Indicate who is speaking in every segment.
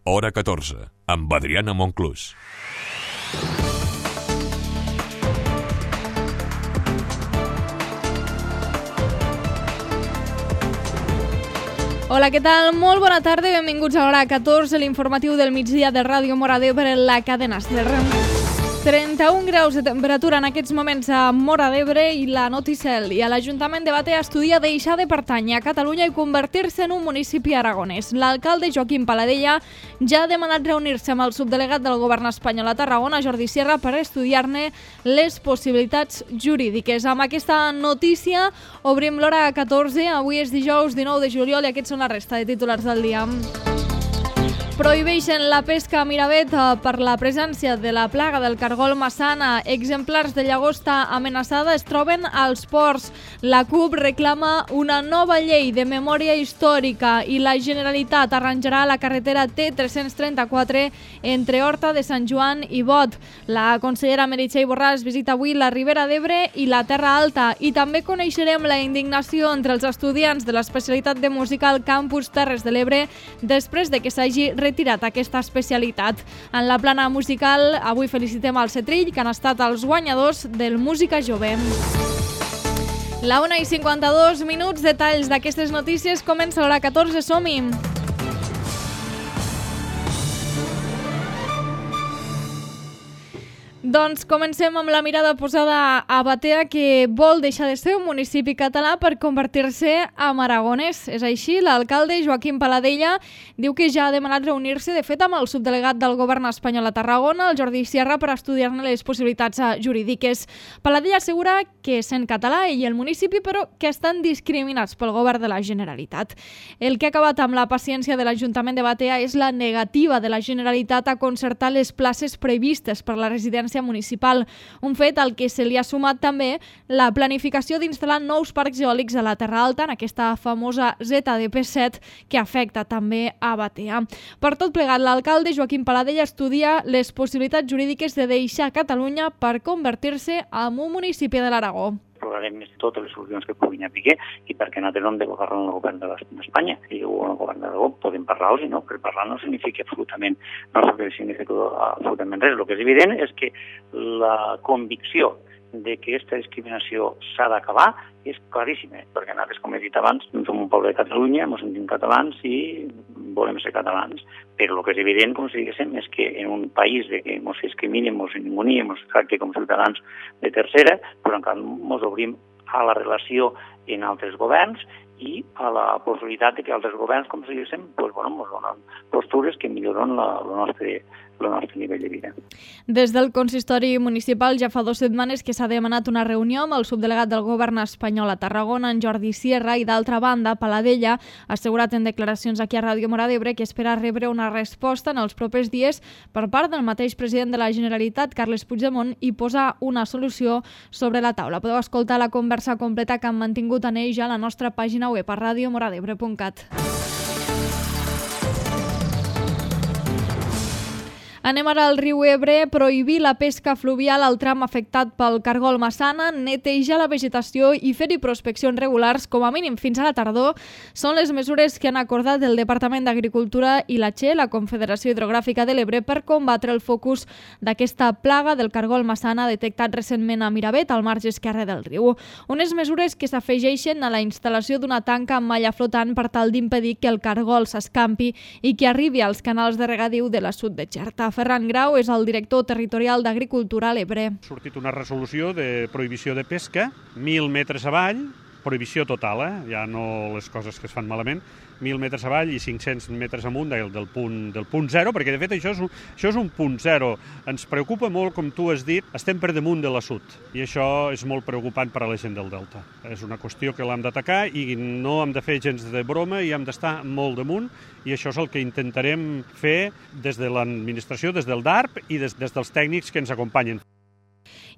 Speaker 1: Hora 14, amb Adriana Monclús.
Speaker 2: Hola, què tal? Molt bona tarda i benvinguts a Hora 14, l'informatiu del migdia de Ràdio Móra d'Ebre, la cadena SER. 31 graus de temperatura en aquests moments a Móra d'Ebre i la Noticel. I a l'Ajuntament de Batea estudia deixar de pertànyer a Catalunya i convertir-se en un municipi aragonès. L'alcalde Joaquim Paladella ja ha demanat reunir-se amb el subdelegat del govern espanyol a Tarragona, Jordi Sierra, per estudiar-ne les possibilitats jurídiques. Amb aquesta notícia obrim l'Hora 14. Avui és dijous 19 de juliol i aquests són la resta de titulars del dia. Prohibeixen la pesca a Miravet per la presència de la plaga del cargol massana. Exemplars de llagosta amenaçada es troben als ports. La CUP reclama una nova llei de memòria històrica i la Generalitat arranjarà la carretera T334 entre Horta de Sant Joan i Bot. La consellera Meritxell Borràs visita avui la Ribera d'Ebre i la Terra Alta i també coneixerem la indignació entre els estudiants de l'especialitat de música al campus Terres de l'Ebre després de que s'hagi retirat aquesta especialitat. En la plana musical, avui felicitem al Cetrill, que han estat els guanyadors del Música Jove. La 1:52, detalls d'aquestes notícies, comença l'Hora 14, som-hi! Doncs comencem amb la mirada posada a Batea, que vol deixar de ser un municipi català per convertir-se en aragonès. És així, l'alcalde Joaquim Paladella diu que ja ha demanat reunir-se, de fet, amb el subdelegat del govern espanyol a Tarragona, el Jordi Sierra, per estudiar-ne les possibilitats jurídiques. Paladella assegura que sent català ell i el municipi, però que estan discriminats pel govern de la Generalitat. El que ha acabat amb la paciència de l'Ajuntament de Batea és la negativa de la Generalitat a concertar les places previstes per la residència municipal, un fet al que se li ha sumat també la planificació d'instal·lar nous parcs eòlics a la Terra Alta, en aquesta famosa ZDP7 que afecta també a Batea. Per tot plegat, l'alcalde Joaquim Paladella estudia les possibilitats jurídiques de deixar Catalunya per convertir-se en un municipi de l'Aragó.
Speaker 3: Explorarem totes les solucions que puguin haver i perquè nosaltres no hem de parlar amb el govern d'Espanya. Si diu el govern d'Aragó podem parlar-los i no, però parlar no significa absolutament res. El que és evident és que la convicció de que aquesta discriminació s'ha d'acabar és claríssima, perquè nosaltres, com he dit abans, som un poble de Catalunya, ens sentim catalans i volem ser catalans, però el que és evident, com si diguéssim, és que en un país de que ens discriminem, ens ningunim, ens tracte com ciutadans de tercera, però encara ens obrim a la relació en altres governs i a la possibilitat de que altres governs, com si diguéssim, ens donen postures que milloren el nostre nivell de vida.
Speaker 2: Des del consistori municipal ja fa 2 setmanes que s'ha demanat una reunió amb el subdelegat del govern espanyol a Tarragona, en Jordi Sierra, i d'altra banda, Paladella ha assegurat en declaracions aquí a Ràdio Móra d'Ebre que espera rebre una resposta en els propers dies per part del mateix president de la Generalitat, Carles Puigdemont, i posar una solució sobre la taula. Podeu escoltar la conversa completa que han mantingut en ell a la nostra pàgina web a radiomoradebre.cat. Anem ara al riu Ebre. Prohibir la pesca fluvial al tram afectat pel cargol massana, netejar la vegetació i fer-hi prospeccions regulars, com a mínim fins a la tardor, són les mesures que han acordat el Departament d'Agricultura i la CHE, la Confederació Hidrogràfica de l'Ebre, per combatre el focus d'aquesta plaga del cargol massana detectat recentment a Miravet, al marge esquerre del riu. Unes mesures que s'afegeixen a la instal·lació d'una tanca amb malla flotant per tal d'impedir que el cargol s'escampi i que arribi als canals de regadiu de la Sud de Xerta. Ferran Grau és el director territorial d'Agricultura a l'Ebre.
Speaker 4: Ha sortit una resolució de prohibició de pesca, 1.000 metres avall, prohibició total, ja no les coses que es fan malament, 1.000 metres avall i 500 metres amunt del punt zero, perquè de fet això és un punt zero. Ens preocupa molt, com tu has dit, estem per damunt de la Sud, i això és molt preocupant per a la gent del Delta. És una qüestió que l'hem d'atacar i no hem de fer gens de broma i hem d'estar molt damunt, i això és el que intentarem fer des de l'administració, des del DARP i des dels tècnics que ens acompanyen.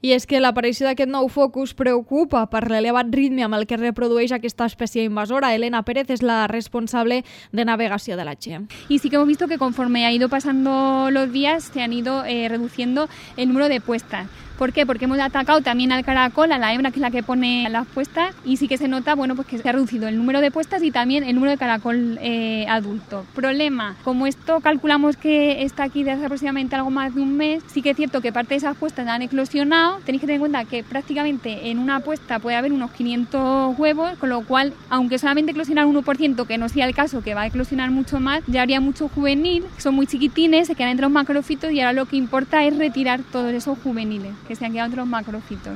Speaker 2: I és que l'aparició d'aquest nou focus preocupa per l'elevat ritme amb el que reprodueix aquesta espècie invasora. Elena Pérez és la responsable de navegació de la CHE.
Speaker 5: Y sí que hemos visto que conforme ha ido pasando los días se han ido reduciendo el número de puestas. ¿Por qué? Porque hemos atacado también al caracol, a la hembra, que es la que pone las puestas, y sí que se nota, bueno, pues que se ha reducido el número de puestas y también el número de caracol adulto. Problema, como esto calculamos que está aquí desde aproximadamente algo más de un mes, sí que es cierto que parte de esas puestas han eclosionado. Tenéis que tener en cuenta que prácticamente en una puesta puede haber unos 500 huevos, con lo cual, aunque solamente eclosionar 1%, que no sea el caso, que va a eclosionar mucho más, ya habría mucho juvenil, que son muy chiquitines, se quedan entre los macrófitos y ahora lo que importa es retirar todos esos juveniles que se han quedado entre los macrófitos.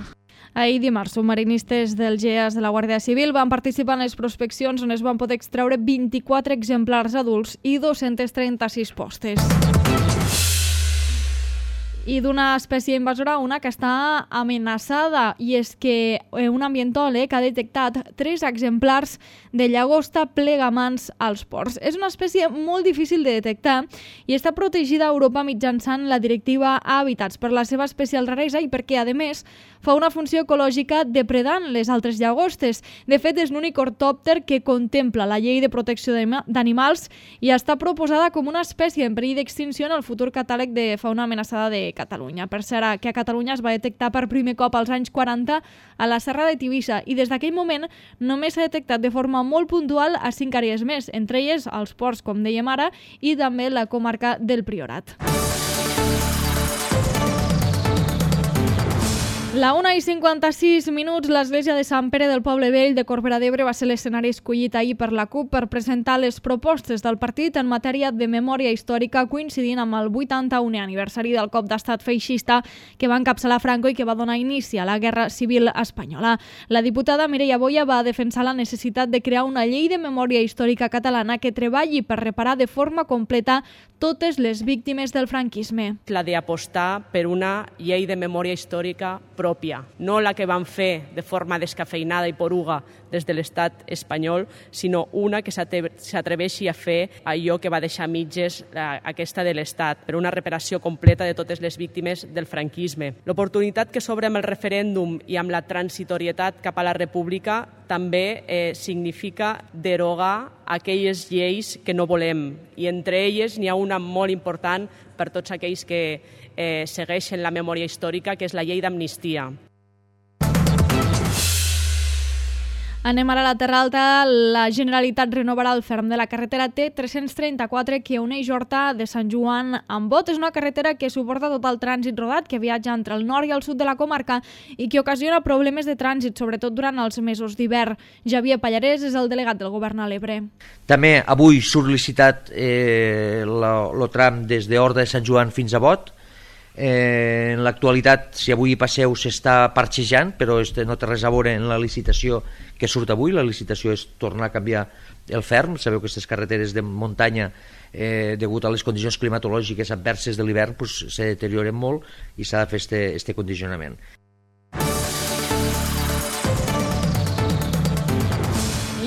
Speaker 2: Ahir dimarts, submarinistes del GEAS de la Guàrdia Civil van participar en les prospeccions on es van poder extreure 24 exemplars adults i 236 postes. I d'una espècie invasora a una que està amenaçada, i és que un ambientòleg ha detectat 3 exemplars de llagosta plegamans als ports. És una espècie molt difícil de detectar i està protegida a Europa mitjançant la directiva Hàbitats per la seva especial raresa i perquè, a més, fa una funció ecològica depredant les altres llagostes. De fet, és l'únic ortòpter que contempla la llei de protecció d'animals i està proposada com una espècie en perill d'extinció en el futur catàleg de fauna amenaçada de Catalunya. Per cert, que a Catalunya es va detectar per primer cop als anys 40 a la Serra de Tivissa i des d'aquell moment només s'ha detectat de forma molt puntual a 5 àrees més, entre elles els ports, com dèiem ara, i també la comarca del Priorat. La 1:56, l'església de Sant Pere del Poble Vell de Corbera d'Ebre va ser l'escenari escollit ahir per la CUP per presentar les propostes del partit en matèria de memòria històrica, coincidint amb el 81è aniversari del cop d'estat feixista que va encapçalar Franco i que va donar inici a la Guerra Civil Espanyola. La diputada Mireia Boya va defensar la necessitat de crear una llei de memòria històrica catalana que treballi per reparar de forma completa totes les víctimes del franquisme.
Speaker 6: La d'apostar per una llei de memòria històrica pròpia, no la que van fer de forma descafeinada i poruga des de l'estat espanyol, sinó una que s'atreveixi a fer allò que va deixar a mitges aquesta de l'estat, per una reparació completa de totes les víctimes del franquisme. L'oportunitat que s'obre amb el referèndum i amb la transitorietat cap a la república també significa derogar aquelles lleis que no volem, i entre elles n'hi ha una molt important per tots aquells que segueixen la memòria històrica, que és la llei d'amnistia.
Speaker 2: Anem ara a la Terra Alta. La Generalitat renovarà el ferm de la carretera T334 que uneix Horta de Sant Joan amb Bot. És una carretera que suporta tot el trànsit rodat que viatja entre el nord i el sud de la comarca i que ocasiona problemes de trànsit, sobretot durant els mesos d'hivern. Javier Pallarès és el delegat del Govern a l'Ebre.
Speaker 7: També avui surt licitat el tram des d'Horta de Sant Joan fins a Bot. En l'actualitat, si avui hi passeu, s'està parxejant, però no té res a veure en la licitació que surt avui. La licitació és tornar a canviar el ferm. Sabeu que aquestes carreteres de muntanya, degut a les condicions climatològiques adverses de l'hivern, se deterioren molt i s'ha de fer este condicionament.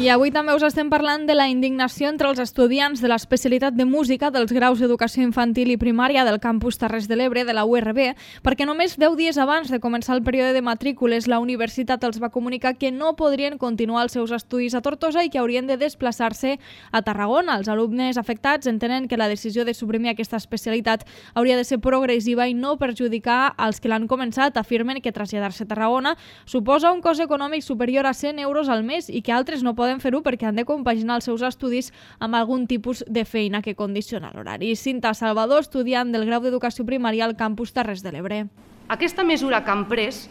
Speaker 2: I avui també us estem parlant de la indignació entre els estudiants de l'especialitat de música dels graus d'educació infantil i primària del campus Terres de l'Ebre de la URB, perquè només 10 dies abans de començar el període de matrícules la universitat els va comunicar que no podrien continuar els seus estudis a Tortosa i que haurien de desplaçar-se a Tarragona. Els alumnes afectats entenen que la decisió de suprimir aquesta especialitat hauria de ser progressiva i no perjudicar als que l'han començat. Afirmen que traslladar-se a Tarragona suposa un cost econòmic superior a 100 euros al mes i que altres no poden fer-ho perquè han de compaginar els seus estudis amb algun tipus de feina que condiciona l'horari. Cinta Salvador, estudiant del grau d'educació primària al campus Terres de l'Ebre.
Speaker 8: Aquesta mesura que han pres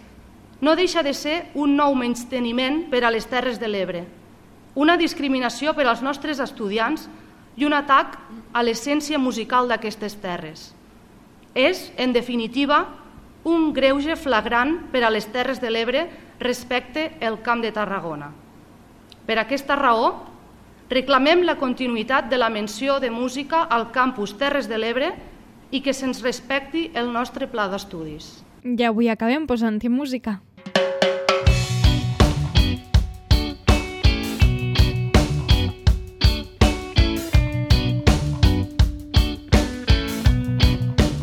Speaker 8: no deixa de ser un nou menysteniment per a les Terres de l'Ebre, una discriminació per als nostres estudiants i un atac a l'essència musical d'aquestes terres. És, en definitiva, un greuge flagrant per a les Terres de l'Ebre respecte al Camp de Tarragona. Per aquesta raó, reclamem la continuïtat de la menció de música al campus Terres de l'Ebre i que se'ns respecti el nostre pla d'estudis.
Speaker 2: I avui acabem posant-hi música.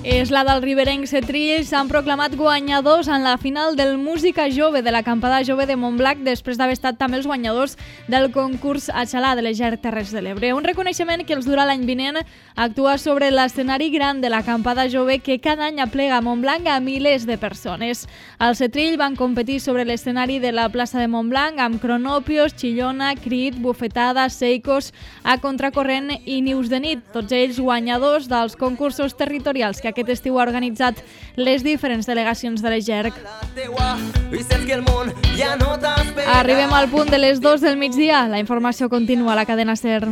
Speaker 2: És la del riberenc Setrill, s'han proclamat guanyadors en la final del Música Jove de l'Acampada Jove de Montblanc després d'haver estat també els guanyadors del concurs a Xalà de les Terres de l'Ebre. Un reconeixement que els durà l'any vinent actuar sobre l'escenari gran de l'Acampada Jove que cada any aplega a Montblanc a milers de persones. Al Setrill van competir sobre l'escenari de la plaça de Montblanc amb cronopios, xillona, crit, bufetada, seicos, a contracorrent i nius de nit, tots ells guanyadors dels concursos territorials que aquest estiu ha organitzat les diferents delegacions de l'EGERC. Arribem al punt de les 2 del migdia. La informació continua a la cadena SER.